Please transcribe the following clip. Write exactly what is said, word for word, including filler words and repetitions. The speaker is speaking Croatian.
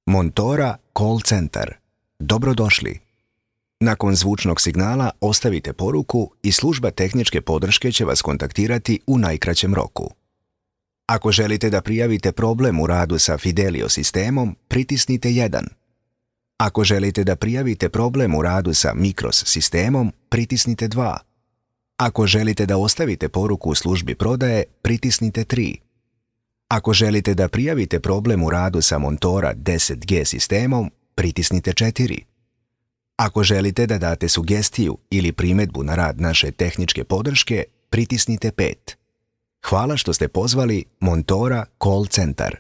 Montora Call Center. Dobrodošli. Nakon zvučnog signala ostavite poruku i služba tehničke podrške će vas kontaktirati u najkraćem roku. Ako želite da prijavite problem u radu sa Fidelio sistemom, pritisnite jedan. Ako želite da prijavite problem u radu sa Micros sistemom, pritisnite dva. Ako želite da ostavite poruku u službi prodaje, pritisnite tri. Ako želite da prijavite problem u radu sa Montora deset G sistemom, pritisnite četiri. Ako želite da date sugestiju ili primjedbu na rad naše tehničke podrške, pritisnite pet. Hvala što ste pozvali Montora Call Center.